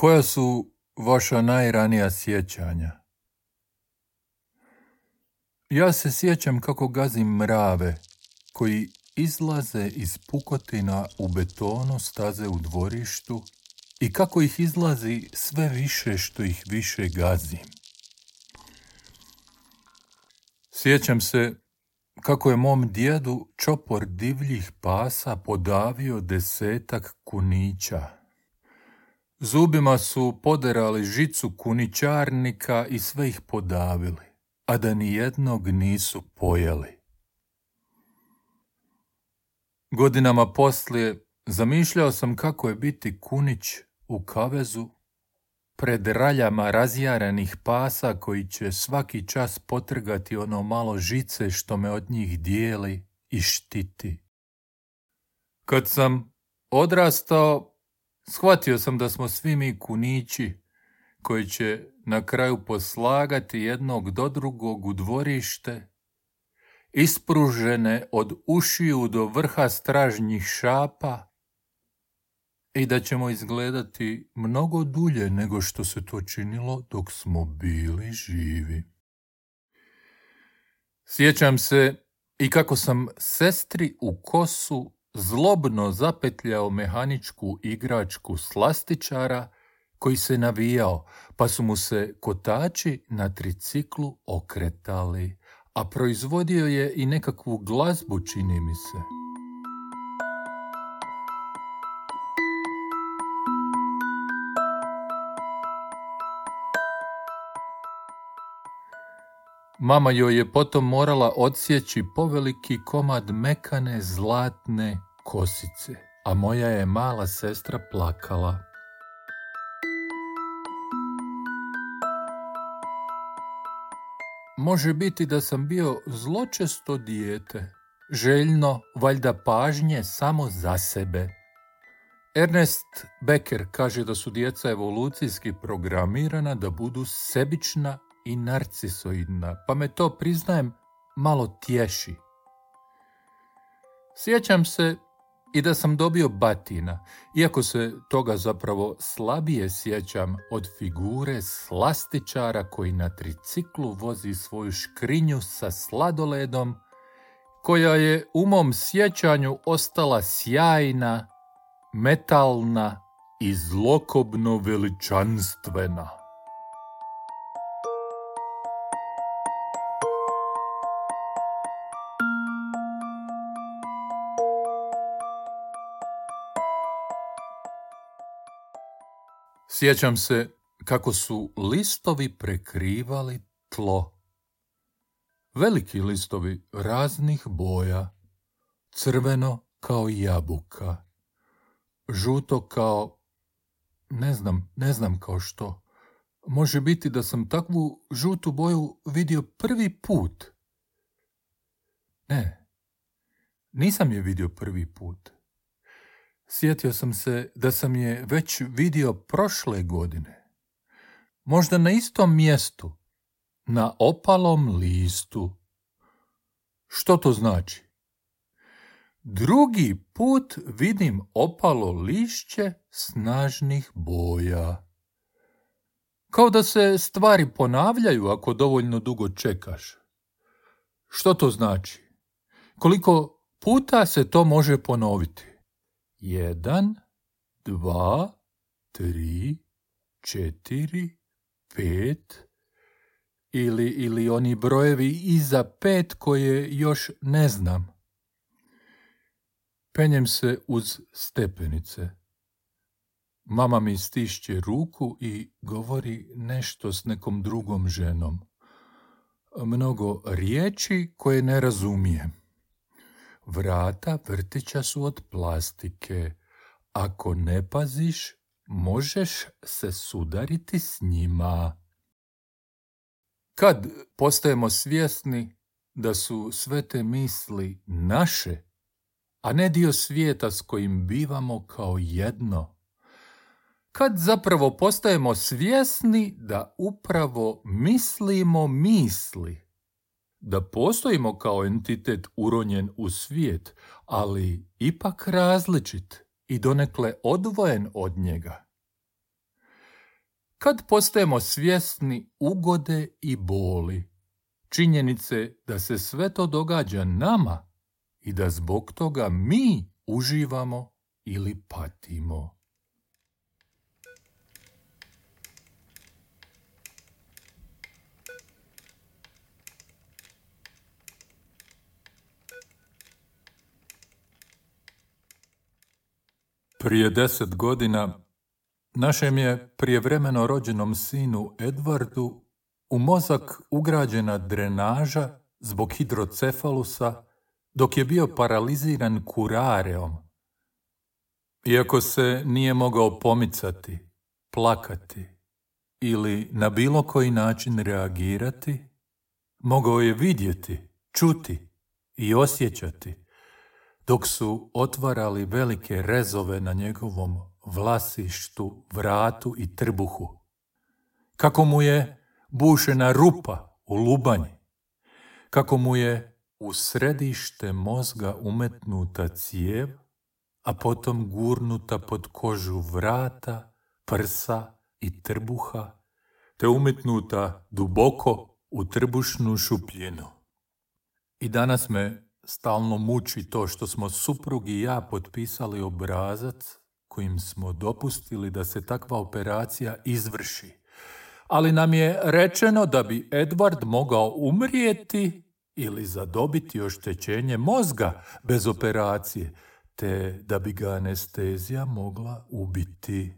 Koja su vaša najranija sjećanja? Ja se sjećam kako gazim mrave koji izlaze iz pukotina u betonu staze u dvorištu i kako ih izlazi sve više što ih više gazim. Sjećam se kako je mom djedu čopor divljih pasa podavio 10 kunića. Zubima su poderali žicu kunićarnika i sve ih podavili, a da ni jednog nisu pojeli. Godinama poslije zamišljao sam kako je biti kunić u kavezu pred raljama razjaranih pasa koji će svaki čas potrgati ono malo žice što me od njih dijeli i štiti. Kad sam odrastao, shvatio sam da smo svi mi kunići koji će na kraju poslagati jednog do drugog u dvorište, ispružene od ušiju do vrha stražnjih šapa i da ćemo izgledati mnogo dulje nego što se to činilo dok smo bili živi. Sjećam se i kako sam sestri u kosu zlobno zapetljao mehaničku igračku slastičara koji se navijao, pa su mu se kotači na triciklu okretali, a proizvodio je i nekakvu glazbu, čini mi se. Mama joj je potom morala odsjeći poveliki komad mekane zlatne kosice, a moja je mala sestra plakala. Može biti da sam bio zločesto dijete, željno valjda pažnje samo za sebe. Ernest Becker kaže da su djeca evolucijski programirana da budu sebična i narcisoidna, pa me to, priznajem, malo tješi. Sjećam se i da sam dobio batina, iako se toga zapravo slabije sjećam od figure slastičara koji na triciklu vozi svoju škrinju sa sladoledom, koja je u mom sjećanju ostala sjajna, metalna i zlokobno veličanstvena. Sjećam se kako su listovi prekrivali tlo. Veliki listovi raznih boja, crveno kao jabuka, žuto kao, ne znam kao što. Može biti da sam takvu žutu boju vidio prvi put. Ne, nisam je vidio prvi put. Sjetio sam se da sam je već vidio prošle godine. Možda na istom mjestu, na opalom listu. Što to znači? Drugi put vidim opalo lišće snažnih boja. Kao da se stvari ponavljaju ako dovoljno dugo čekaš. Što to znači? Koliko puta se to može ponoviti? 1, 2, 3, 4, 5 ili oni brojevi iza 5 koje još ne znam. Penjem se uz stepenice. Mama mi stišće ruku i govori nešto s nekom drugom ženom. Mnogo riječi koje ne razumijem. Vrata vrtića su od plastike. Ako ne paziš, možeš se sudariti s njima. Kad postajemo svjesni da su sve te misli naše, a ne dio svijeta s kojim bivamo kao jedno? Kad zapravo postajemo svjesni da upravo mislimo misli, da postojimo kao entitet uronjen u svijet, ali ipak različit i donekle odvojen od njega. kad postajemo svjesni ugode i boli, činjenice da se sve to događa nama i da zbog toga mi uživamo ili patimo. Prije 10 godina našem je prijevremeno rođenom sinu Edwardu u mozak ugrađena drenaža zbog hidrocefalusa dok je bio paraliziran kurareom. Iako se nije mogao pomicati, plakati ili na bilo koji način reagirati, mogao je vidjeti, čuti i osjećati dok su otvarali velike rezove na njegovom vlasištu, vratu i trbuhu. Kako mu je bušena rupa u lubanji, kako mu je u središte mozga umetnuta cijev, a potom gurnuta pod kožu vrata, prsa i trbuha, te umetnuta duboko u trbušnu šupljinu. I danas me stalno muči to što smo suprug i ja potpisali obrazac kojim smo dopustili da se takva operacija izvrši. Ali nam je rečeno da bi Edward mogao umrijeti ili zadobiti oštećenje mozga bez operacije, te da bi ga anestezija mogla ubiti.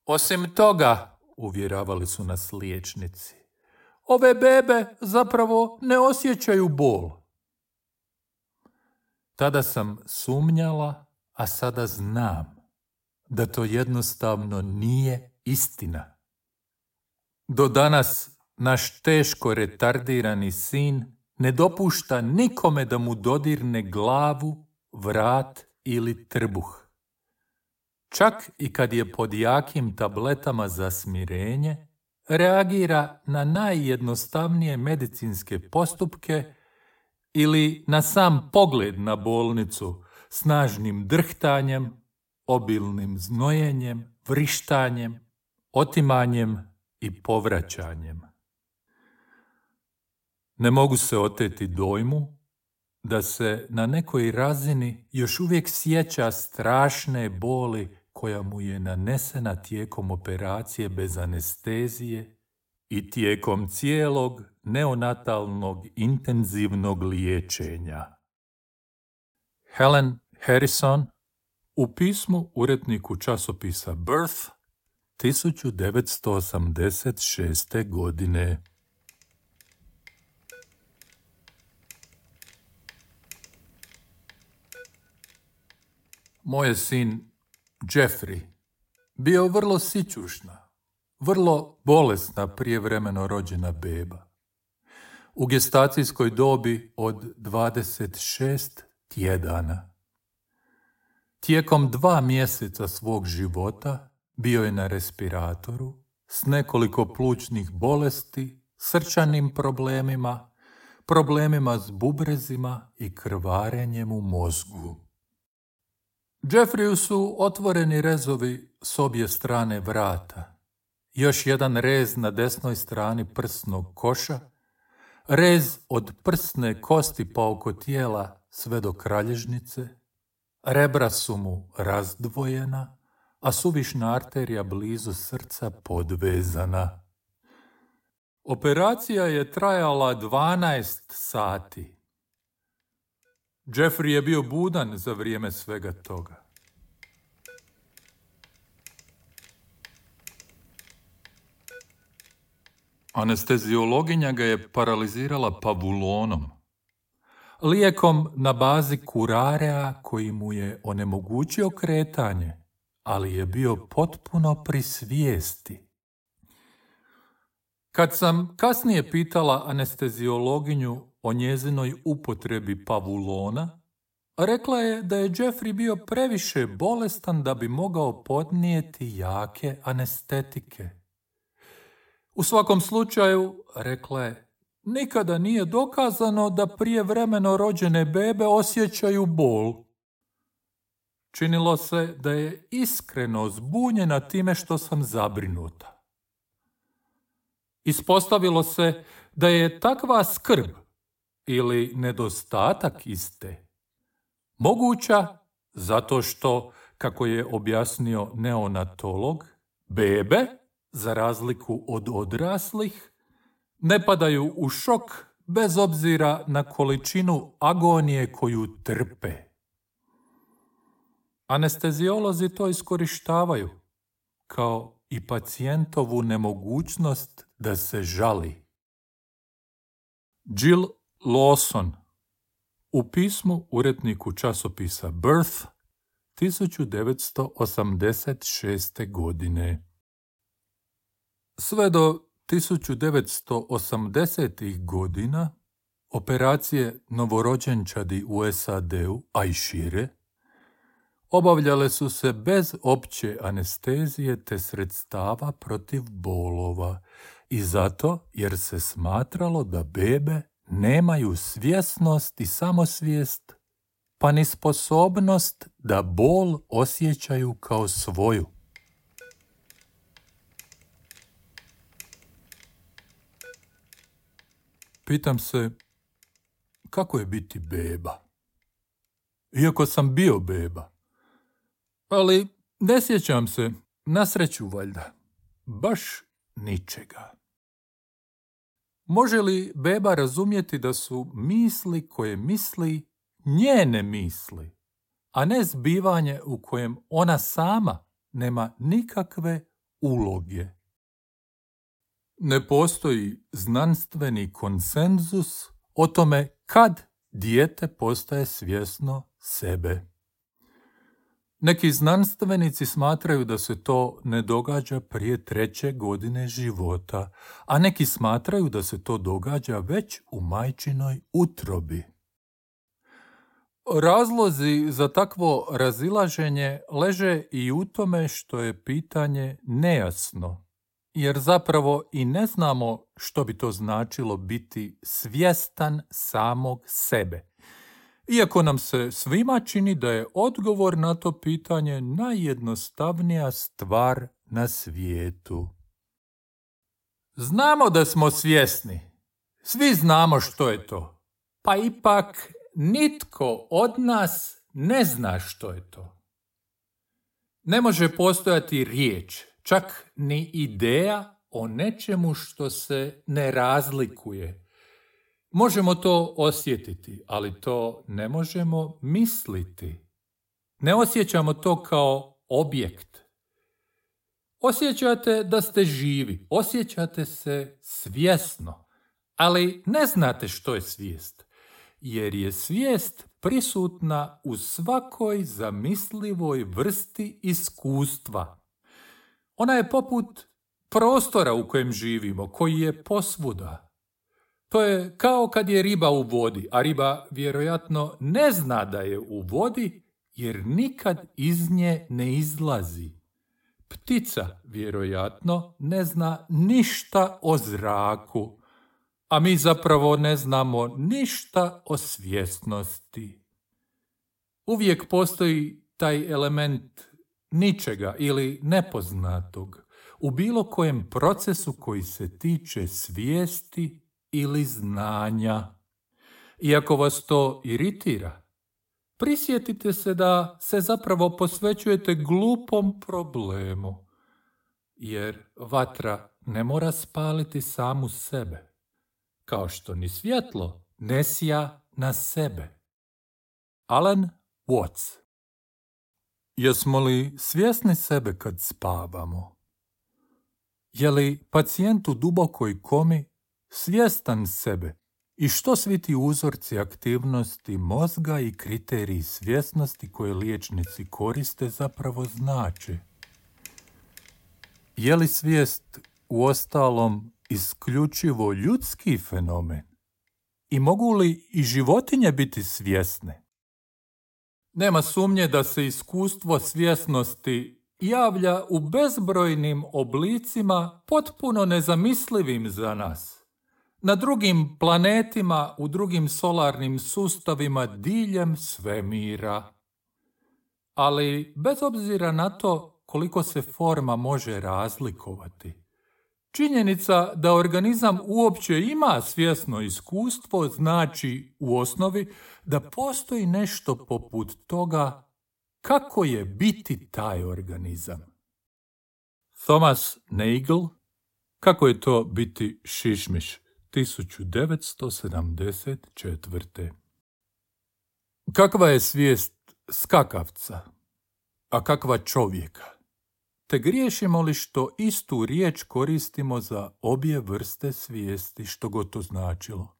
Osim toga, uvjeravali su nas liječnici, ove bebe zapravo ne osjećaju bol. Tada sam sumnjala, a sada znam da to jednostavno nije istina. Do danas naš teško retardirani sin ne dopušta nikome da mu dodirne glavu, vrat ili trbuh. Čak i kad je pod jakim tabletama za smirenje, reagira na najjednostavnije medicinske postupke ili na sam pogled na bolnicu, snažnim drhtanjem, obilnim znojenjem, vrištanjem, otimanjem i povraćanjem. Ne mogu se oteti dojmu da se na nekoj razini još uvijek sjeća strašne boli koja mu je nanesena tijekom operacije bez anestezije i tijekom cijelog neonatalnog intenzivnog liječenja. Helen Harrison u pismu uredniku časopisa Birth 1986. godine. Moj je sin Jeffrey bio vrlo sićušna, vrlo bolesna prijevremeno rođena beba. U gestacijskoj dobi od 26 tjedana. Tijekom 2 mjeseca svog života bio je na respiratoru s nekoliko plućnih bolesti, srčanim problemima, problemima s bubrezima i krvarenjem u mozgu. Jeffreyu su otvoreni rezovi s obje strane vrata, još jedan rez na desnoj strani prsnog koša, rez od prsne kosti pa oko tijela sve do kralježnice, rebra su mu razdvojena, a suvišna arterija blizu srca podvezana. Operacija je trajala 12 sati. Jeffrey je bio budan za vrijeme svega toga. Anesteziologinja ga je paralizirala pavulonom, lijekom na bazi kurarea koji mu je onemogućio kretanje, ali je bio potpuno pri svijesti. Kad sam kasnije pitala anesteziologinju o njezinoj upotrebi pavulona, rekla je da je Jeffrey bio previše bolestan da bi mogao podnijeti jake anestetike. U svakom slučaju, rekla je, nikada nije dokazano da prijevremeno rođene bebe osjećaju bol. Činilo se da je iskreno zbunjena time što sam zabrinuta. Ispostavilo se da je takva skrb ili nedostatak iste moguća zato što, kako je objasnio neonatolog, bebe, za razliku od odraslih, ne padaju u šok bez obzira na količinu agonije koju trpe. Anesteziolozi to iskorištavaju, kao i pacijentovu nemogućnost da se žali. Jill Lawson u pismu uredniku časopisa Birth 1986. godine. Sve do 1980. godina operacije novorođenčadi u SAD-u, a i šire, obavljale su se bez opće anestezije te sredstava protiv bolova i zato jer se smatralo da bebe nemaju svjesnost i samosvijest, pa ni sposobnost da bol osjećaju kao svoju. Pitam se, kako je biti beba? Iako sam bio beba. Ali ne sjećam se, na sreću valjda, baš ničega. Može li beba razumjeti da su misli koje misli njene misli, a ne zbivanje u kojem ona sama nema nikakve uloge? Ne postoji znanstveni konsenzus o tome kad dijete postaje svjesno sebe. Neki znanstvenici smatraju da se to ne događa prije 3. godine života, a neki smatraju da se to događa već u majčinoj utrobi. Razlozi za takvo razilaženje leže i u tome što je pitanje nejasno, jer zapravo i ne znamo što bi to značilo biti svjestan samog sebe. Iako nam se svima čini da je odgovor na to pitanje najjednostavnija stvar na svijetu. Znamo da smo svjesni. Svi znamo što je to. Pa ipak nitko od nas ne zna što je to. Ne može postojati riječ, čak ni ideja o nečemu što se ne razlikuje. Možemo to osjetiti, ali to ne možemo misliti. Ne osjećamo to kao objekt. Osjećate da ste živi, osjećate se svjesno, ali ne znate što je svijest, jer je svijest prisutna u svakoj zamislivoj vrsti iskustva. Ona je poput prostora u kojem živimo, koji je posvuda. To je kao kad je riba u vodi, a riba vjerojatno ne zna da je u vodi jer nikad iz nje ne izlazi. Ptica vjerojatno ne zna ništa o zraku, a mi zapravo ne znamo ništa o svjesnosti. Uvijek postoji taj element ničega ili nepoznatog u bilo kojem procesu koji se tiče svijesti ili znanja. Iako vas to iritira, prisjetite se da se zapravo posvećujete glupom problemu, jer vatra ne mora spaliti samu sebe, kao što ni svjetlo ne sija na sebe. Alan Watts. Jesmo li svjesni sebe kad spavamo? Je li pacijent u dubokoj komi svjestan sebe i što svi ti uzorci aktivnosti mozga i kriteriji svjesnosti koje liječnici koriste zapravo znače? Je li svijest uostalom isključivo ljudski fenomen? I mogu li i životinje biti svjesne? Nema sumnje da se iskustvo svjesnosti javlja u bezbrojnim oblicima potpuno nezamislivim za nas. Na drugim planetima, u drugim solarnim sustavima diljem svemira. Ali bez obzira na to koliko se forma može razlikovati, činjenica da organizam uopće ima svjesno iskustvo znači u osnovi da postoji nešto poput toga kako je biti taj organizam. Thomas Nagel, Kako je to biti šišmiš, 1974. Kakva je svijest skakavca, a kakva čovjeka? Te griješimo li što istu riječ koristimo za obje vrste svijesti, što god to značilo?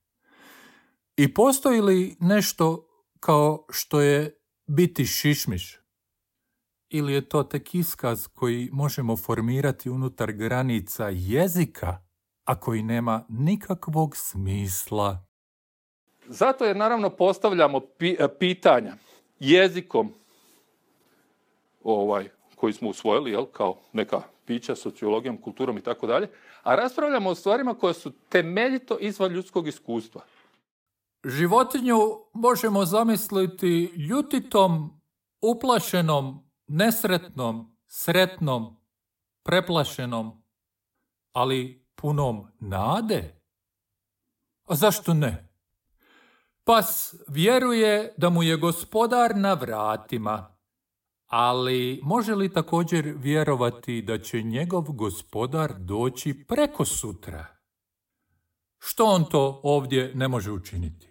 I postoji li nešto kao što je biti šišmiš? Ili je to tek iskaz koji možemo formirati unutar granica jezika, a koji nema nikakvog smisla? Zato jer naravno postavljamo pitanja jezikom koji smo usvojili kao neka pića, sociologijom, kulturom i tako dalje, a raspravljamo o stvarima koje su temeljito izvan ljudskog iskustva. Životinju možemo zamisliti ljutitom, uplašenom, nesretnom, sretnom, preplašenom, ali punom nade. A zašto ne? Pas vjeruje da mu je gospodar na vratima, ali može li također vjerovati da će njegov gospodar doći preko sutra? Što on to ovdje ne može učiniti?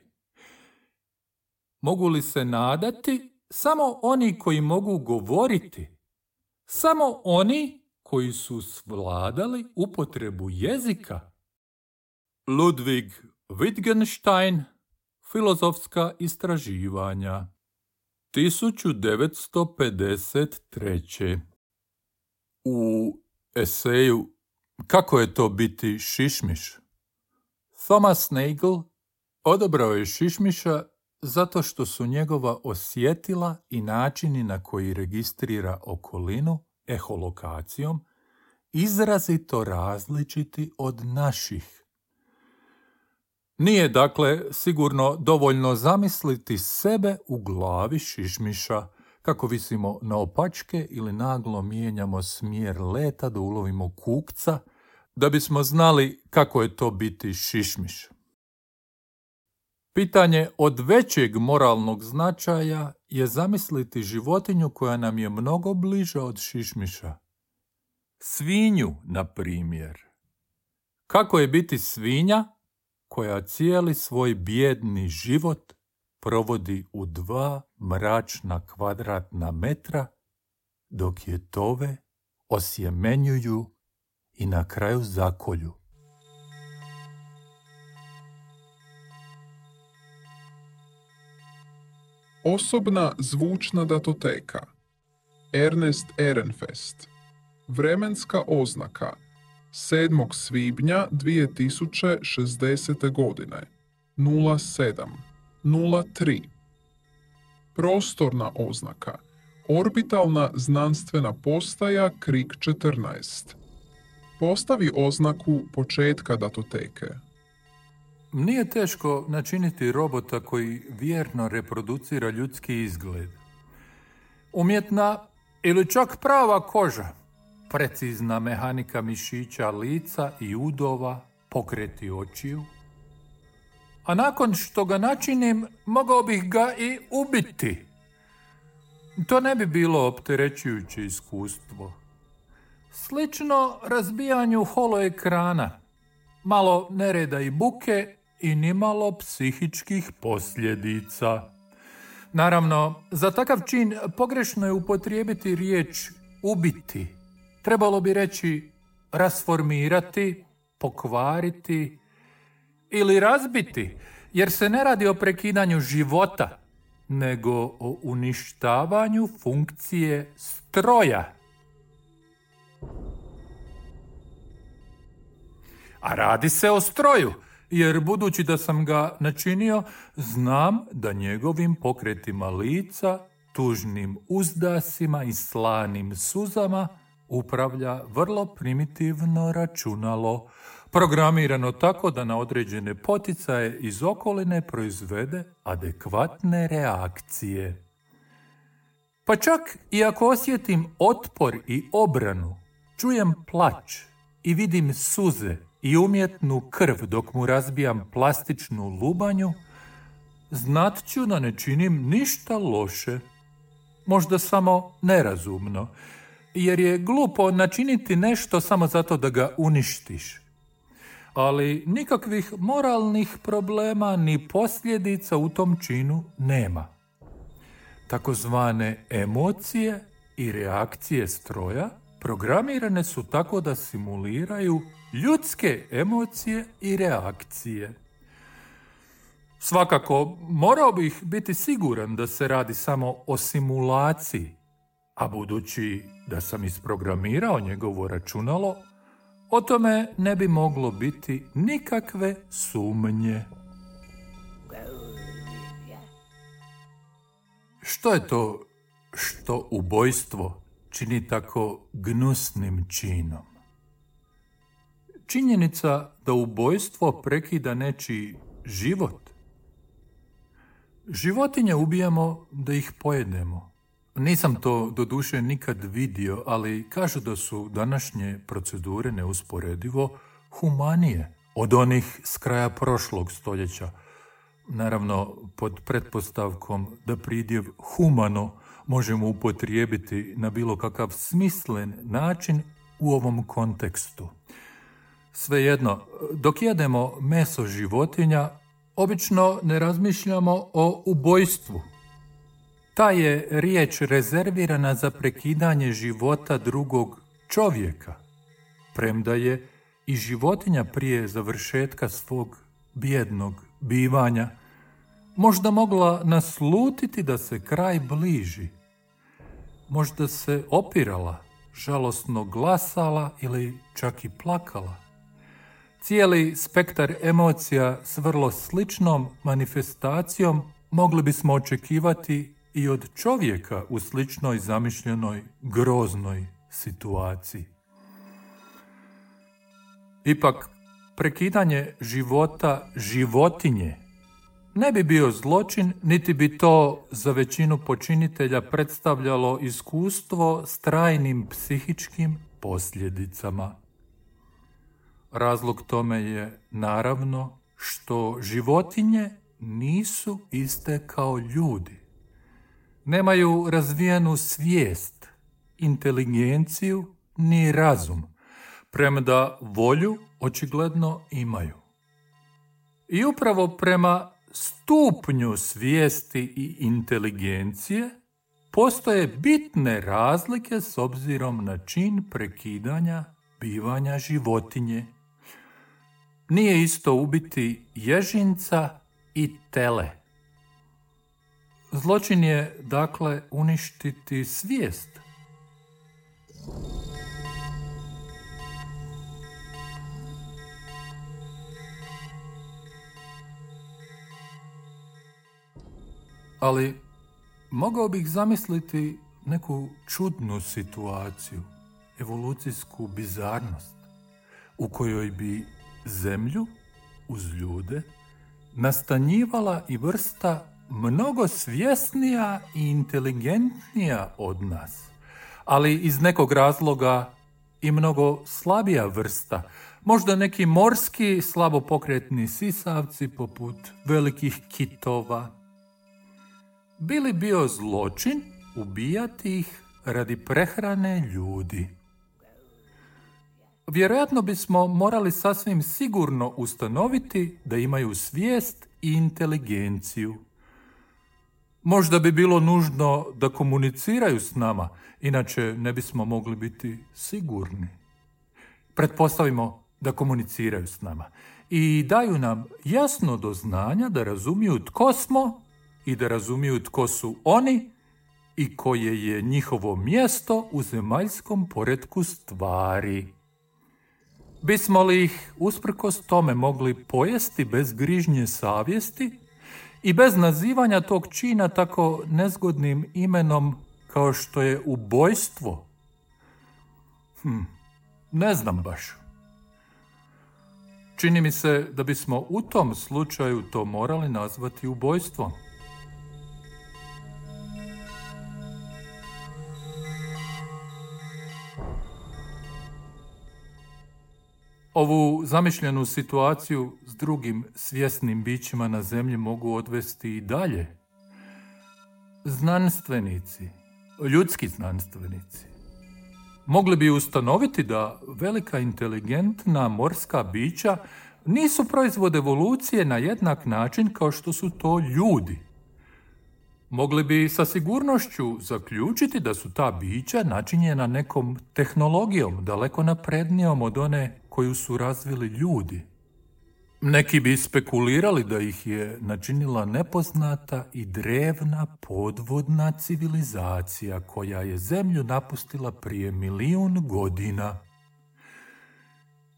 Mogu li se nadati samo oni koji mogu govoriti? Samo oni koji su svladali upotrebu jezika? Ludwig Wittgenstein, Filozofska istraživanja, 1953. U eseju Kako je to biti šišmiš, Thomas Nagel odabrao je šišmiša zato što su njegova osjetila i načini na koji registrira okolinu eholokacijom izrazito različiti od naših. Nije, dakle, sigurno dovoljno zamisliti sebe u glavi šišmiša, kako visimo naopačke ili naglo mijenjamo smjer leta da ulovimo kukca, da bismo znali kako je to biti šišmiš. Pitanje od većeg moralnog značaja je zamisliti životinju koja nam je mnogo bliža od šišmiša. Svinju, na primjer. Kako je biti svinja koja cijeli svoj bijedni život provodi u 2 mračna kvadratna metra, dok je tove osjemenjuju i na kraju zakolju. Osobna zvučna datoteka. Ernest Ehrenfest. Vremenska oznaka 7. svibnja 2060. godine 07:03. Prostorna oznaka. Orbitalna znanstvena postaja Krik 14. Postavi oznaku početka datoteke. Nije teško načiniti robota koji vjerno reproducira ljudski izgled. Umjetna ili čak prava koža, precizna mehanika mišića lica i udova, pokreti očiju. A nakon što ga načinim, mogao bih ga i ubiti. To ne bi bilo opterećujuće iskustvo. Slično razbijanju holoekrana, malo nereda i buke i nimalo psihičkih posljedica. Naravno, za takav čin pogrešno je upotrijebiti riječ ubiti. Trebalo bi reći rasformirati, pokvariti ili razbiti, jer se ne radi o prekidanju života, nego o uništavanju funkcije stroja. A radi se o stroju, jer budući da sam ga načinio, znam da njegovim pokretima lica, tužnim uzdasima i slanim suzama upravlja vrlo primitivno računalo, programirano tako da na određene poticaje iz okoline proizvede adekvatne reakcije. Pa čak i ako osjetim otpor i obranu, čujem plać i vidim suze i umjetnu krv dok mu razbijam plastičnu lubanju, znat ću da ne činim ništa loše. Možda samo nerazumno, jer je glupo načiniti nešto samo zato da ga uništiš. Ali nikakvih moralnih problema ni posljedica u tom činu nema. Takozvane emocije i reakcije stroja programirane su tako da simuliraju ljudske emocije i reakcije. Svakako, morao bih biti siguran da se radi samo o simulaciji, a budući da sam isprogramirao njegovo računalo, o tome ne bi moglo biti nikakve sumnje. Što je to što ubojstvo čini tako gnusnim činom? Činjenica da ubojstvo prekida nečiji život. Životinje ubijamo da ih pojedemo. Nisam to doduše nikad vidio, ali kažu da su današnje procedure neusporedivo humanije od onih s kraja prošlog stoljeća. Naravno, pod pretpostavkom da pridjev humano možemo upotrijebiti na bilo kakav smislen način u ovom kontekstu. Svejedno, dok jedemo meso životinja, obično ne razmišljamo o ubojstvu. Ta je riječ rezervirana za prekidanje života drugog čovjeka, premda je i životinja prije završetka svog bijednog bivanja možda mogla naslutiti da se kraj bliži. Možda se opirala, žalosno glasala ili čak i plakala. Cijeli spektar emocija s vrlo sličnom manifestacijom mogli bismo očekivati i od čovjeka u sličnoj zamišljenoj groznoj situaciji. Ipak, prekidanje života životinje ne bi bio zločin, niti bi to za većinu počinitelja predstavljalo iskustvo s trajnim psihičkim posljedicama. Razlog tome je, naravno, što životinje nisu iste kao ljudi. Nemaju razvijenu svijest, inteligenciju ni razum, premda volju očigledno imaju. I upravo prema stupnju svijesti i inteligencije postoje bitne razlike s obzirom na čin prekidanja bivanja životinje. Nije isto ubiti ježinca i tele. Zločin je, dakle, uništiti svijest. Ali mogao bih zamisliti neku čudnu situaciju, evolucijsku bizarnost, u kojoj bi zemlju uz ljude nastanjivala i vrsta mnogo svjesnija i inteligentnija od nas, ali iz nekog razloga i mnogo slabija vrsta, možda neki morski slabopokretni sisavci poput velikih kitova. Bi li bio zločin ubijati ih radi prehrane ljudi? Vjerojatno bismo morali sasvim sigurno ustanoviti da imaju svijest i inteligenciju. Možda bi bilo nužno da komuniciraju s nama, inače ne bismo mogli biti sigurni. Pretpostavimo da komuniciraju s nama i daju nam jasno do znanja da razumiju tko smo i da razumiju tko su oni i koje je njihovo mjesto u zemaljskom poretku stvari. Bismo li ih usprkos tome mogli pojesti bez grižnje savjesti i bez nazivanja tog čina tako nezgodnim imenom kao što je ubojstvo? Ne znam baš. Čini mi se da bismo u tom slučaju to morali nazvati ubojstvom. Ovu zamišljenu situaciju s drugim svjesnim bićima na zemlji mogu odvesti i dalje. Znanstvenici, ljudski znanstvenici, mogli bi ustanoviti da velika inteligentna morska bića nisu proizvod evolucije na jednak način kao što su to ljudi. Mogli bi sa sigurnošću zaključiti da su ta bića načinjena nekom tehnologijom daleko naprednijom od one koju su razvili ljudi. Neki bi spekulirali da ih je načinila nepoznata i drevna podvodna civilizacija koja je zemlju napustila prije 1.000.000 godina.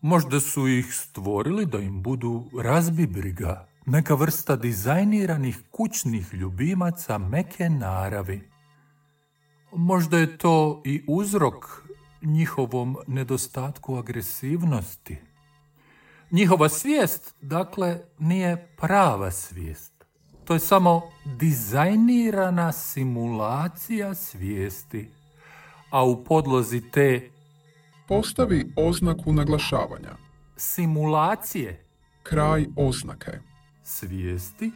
Možda su ih stvorili da im budu razbibriga, neka vrsta dizajniranih kućnih ljubimaca meke naravi. Možda je to i uzrok njihovom nedostatku agresivnosti. Njihova svijest, dakle, nije prava svijest. To je samo dizajnirana simulacija svijesti, a u podlozi te Postavi oznaku naglašavanja. simulacije Kraj oznake. svijesti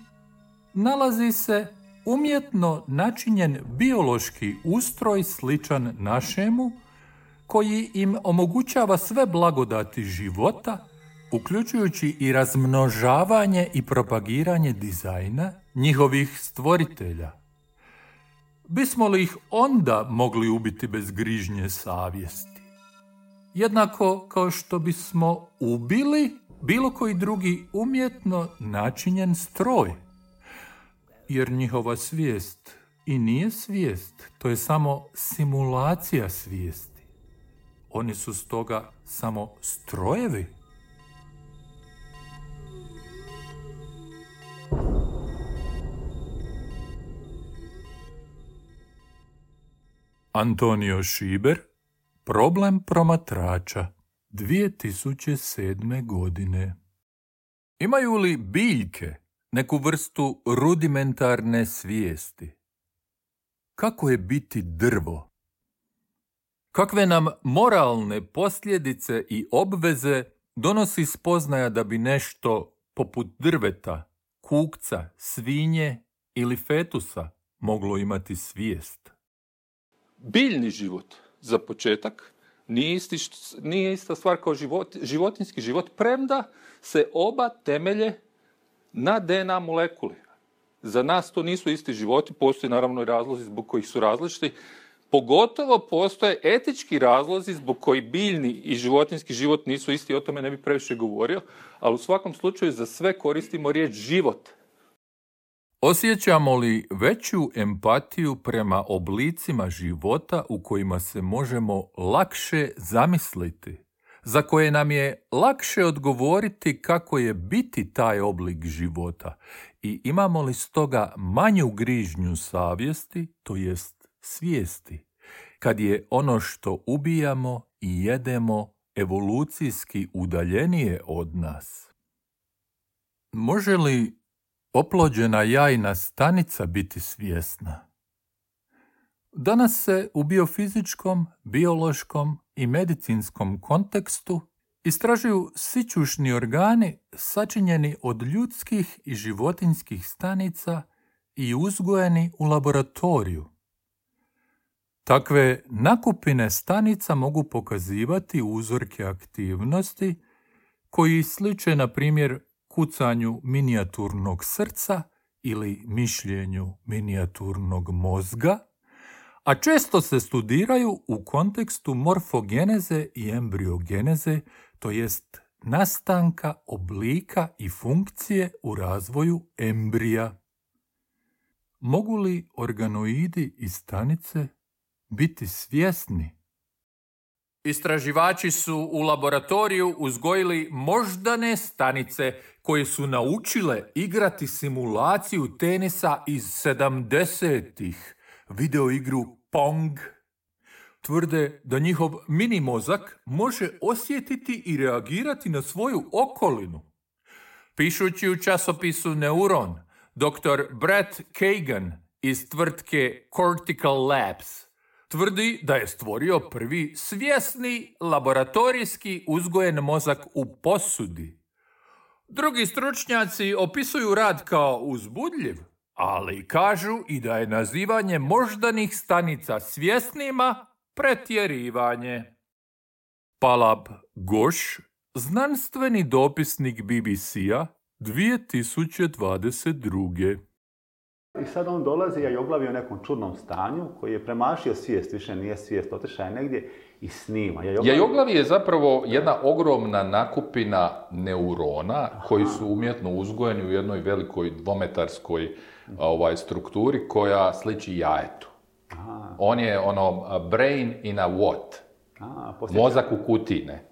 nalazi se umjetno načinjen biološki ustroj sličan našemu, koji im omogućava sve blagodati života, uključujući i razmnožavanje i propagiranje dizajna njihovih stvoritelja. Bismo li ih onda mogli ubiti bez grižnje savjesti? Jednako kao što bismo ubili bilo koji drugi umjetno načinjen stroj. Jer njihova svijest i nije svijest, to je samo simulacija svijesti. Oni su stoga samo strojevi. Antonio Šiber, Problem promatrača, 2007. godine. Imaju li biljke neku vrstu rudimentarne svijesti? Kako je biti drvo? Kakve nam moralne posljedice i obveze donosi spoznaja da bi nešto poput drveta, kukca, svinje ili fetusa moglo imati svijest? Biljni život, za početak, nije ista stvar kao životinjski život, premda se oba temelje na DNA molekuli. Za nas to nisu isti životi, postoje naravno i razlozi zbog kojih su različiti. Pogotovo postoje etički razlozi zbog koji biljni i životinjski život nisu isti, o tome ne bi previše govorio, ali u svakom slučaju za sve koristimo riječ život. Osjećamo li veću empatiju prema oblicima života u kojima se možemo lakše zamisliti, za koje nam je lakše odgovoriti kako je biti taj oblik života, i imamo li stoga manju grižnju savjesti, to jest svijesti, kad je ono što ubijamo i jedemo evolucijski udaljenije od nas? Može li oplođena jajna stanica biti svjesna? Danas se u biofizičkom, biološkom i medicinskom kontekstu istražuju sićušni organi sačinjeni od ljudskih i životinjskih stanica i uzgojeni u laboratoriju. Takve nakupine stanica mogu pokazivati uzorke aktivnosti koji sliče, na primjer, kucanju minijaturnog srca ili mišljenju minijaturnog mozga, a često se studiraju u kontekstu morfogeneze i embriogeneze, to jest nastanka oblika i funkcije u razvoju embrija. Mogu li organoidi i stanice biti svjesni? Istraživači su u laboratoriju uzgojili moždane stanice koje su naučile igrati simulaciju tenisa iz 70-ih, video igru Pong. Tvrde da njihov mini mozak može osjetiti i reagirati na svoju okolinu. Pišući u časopisu Neuron, dr. Brett Kagan iz tvrtke Cortical Labs tvrdi da je stvorio prvi svjesni laboratorijski uzgojen mozak u posudi. Drugi stručnjaci opisuju rad kao uzbudljiv, ali kažu i da je nazivanje moždanih stanica svjesnima pretjerivanje. Palab Goš, znanstveni dopisnik BBC-a 2022. I sad on dolazi, ja oglavi u nekom čudnom stanju koji je premašio svijest, više nije svijest, otišao je negdje i snima. Jajoglavi je zapravo jedna ogromna nakupina neurona koji su umjetno uzgojeni u jednoj velikoj dvometarskoj strukturi koja sliči jajetu. On je brain in a what? Mozak u kutiji, ne?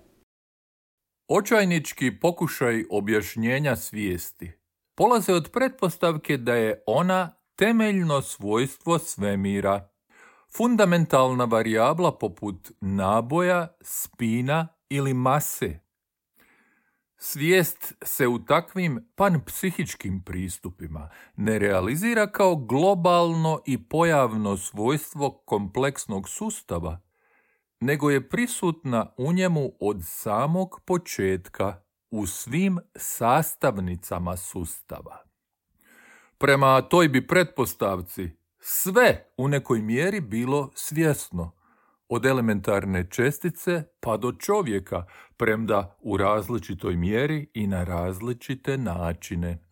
Očajnički pokušaj objašnjenja svijesti polaze od pretpostavke da je ona temeljno svojstvo svemira, fundamentalna varijabla poput naboja, spina ili mase. Svijest se u takvim panpsihičkim pristupima ne realizira kao globalno i pojavno svojstvo kompleksnog sustava, nego je prisutna u njemu od samog početka u svim sastavnicama sustava. Prema toj bi pretpostavci sve u nekoj mjeri bilo svjesno, od elementarne čestice pa do čovjeka, premda u različitoj mjeri i na različite načine.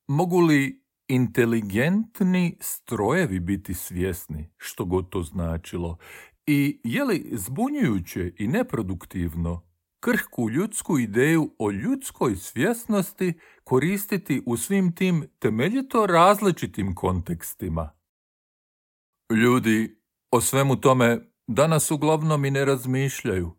Mogu li inteligentni strojevi biti svjesni, što god to značilo, i je li zbunjujuće i neproduktivno krhku ljudsku ideju o ljudskoj svjesnosti koristiti u svim tim temeljito različitim kontekstima? Ljudi o svemu tome danas uglavnom i ne razmišljaju,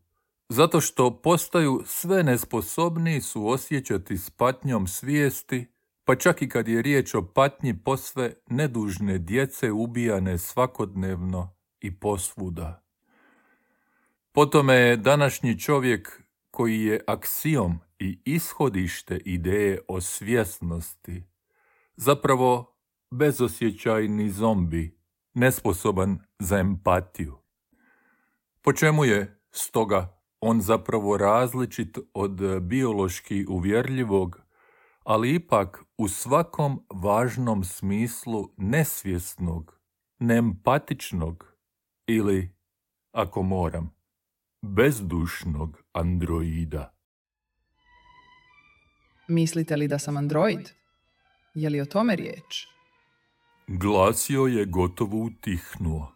zato što postaju sve nesposobniji suosjećati s patnjom svijesti, pa čak i kad je riječ o patnji posve nedužne djece ubijane svakodnevno i posvuda. Po tome je današnji čovjek, koji je aksiom i ishodište ideje o svjesnosti, zapravo bezosjećajni zombi, nesposoban za empatiju. Po čemu je, stoga, on zapravo različit od biološki uvjerljivog, ali ipak u svakom važnom smislu nesvjesnog, neempatičnog ili, ako moram, bezdušnog androida. Mislite li da sam android? Je li o tome riječ? Glasio je gotovo utihnuo.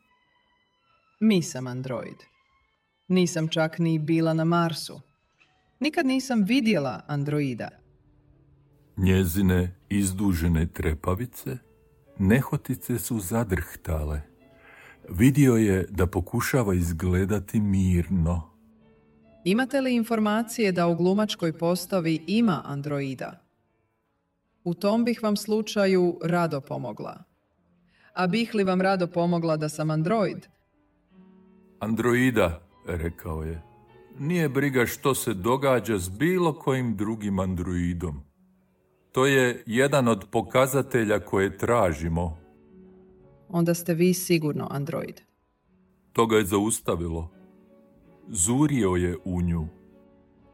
Nisam android. Nisam čak ni bila na Marsu. Nikad nisam vidjela androida. Njezine izdužene trepavice nehotice su zadrhtale. Vidio je da pokušava izgledati mirno. Imate li informacije da u glumačkoj postavi ima androida? U tom bih vam slučaju rado pomogla. A bih li vam rado pomogla da sam android? Androida, rekao je. Nije briga što se događa s bilo kojim drugim androidom. To je jedan od pokazatelja koje tražimo. Onda ste vi sigurno android. To ga je zaustavilo. Zurio je u nju.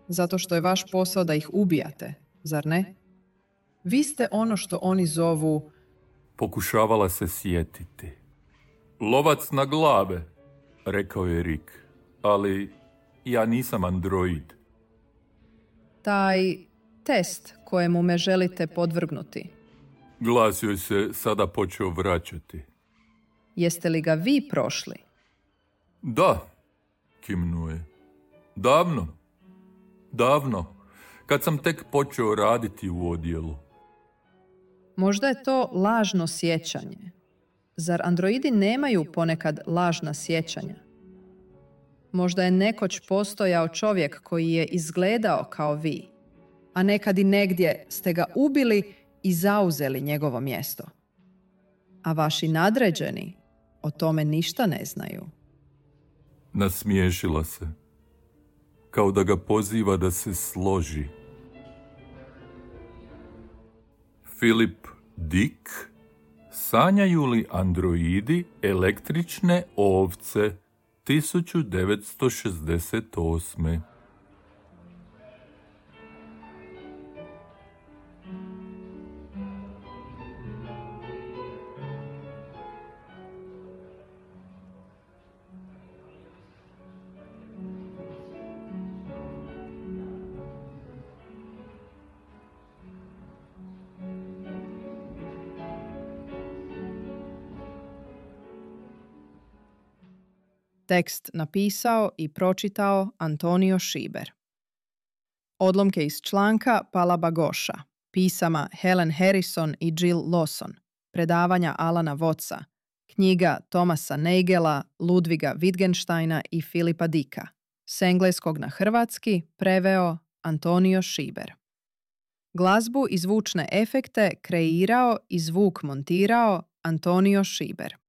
Zato što je vaš posao da ih ubijate, zar ne? Vi ste ono što oni zovu... Pokušavala se sjetiti. Lovac na glave, rekao je Rick. Ali ja nisam android. Taj test kojemu me želite podvrgnuti. Glas joj se sada počeo vraćati. Jeste li ga vi prošli? Da, kimnuo je. Davno, kad sam tek počeo raditi u odjelu. Možda je to lažno sjećanje. Zar androidi nemaju ponekad lažna sjećanja? Možda je nekoć postojao čovjek koji je izgledao kao vi, a nekad i negdje ste ga ubili i zauzeli njegovo mjesto. A vaši nadređeni o tome ništa ne znaju. Nasmiješila se, kao da ga poziva da se složi. Philip Dick Sanjaju li androidi električne ovce? 1968. Tekst napisao i pročitao Antonio Šiber. Odlomke iz članka Palaba Goša, pisama Helen Harrison i Jill Lawson, predavanja Alana Wattsa, knjiga Thomasa Nagela, Ludviga Wittgensteina i Filipa Dicka. S engleskog na hrvatski preveo Antonio Šiber. Glazbu i zvučne efekte kreirao i zvuk montirao Antonio Šiber.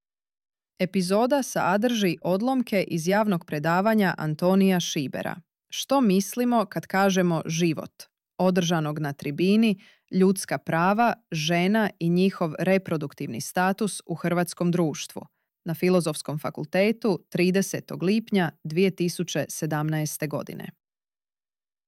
Epizoda sadrži odlomke iz javnog predavanja Antonija Šibera. Što mislimo kad kažemo život? Održanog na tribini Ljudska prava, žena i njihov reproduktivni status u hrvatskom društvu na Filozofskom fakultetu 30. lipnja 2017. godine.